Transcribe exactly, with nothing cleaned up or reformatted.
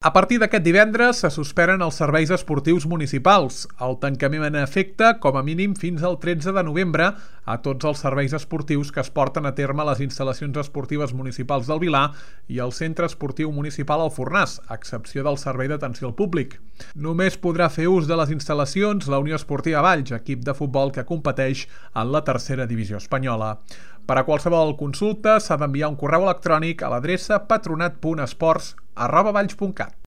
A partir d'aquest divendres se suspenen els serveis esportius municipals. El tancament afecta, com a mínim, fins al tretze de novembre a tots els serveis esportius que es porten a terme a les instal·lacions esportives municipals del Vilar i al Centre Esportiu Municipal Alfornàs, a excepció del servei d'atenció al públic. Només podrà fer ús de les instal·lacions la Unió Esportiva Valls, equip de futbol que competeix en la tercera divisió espanyola. Per a qualsevol consulta s'ha d'enviar un correu electrònic a l'adreça patronat punt esports arroba valls punt cat.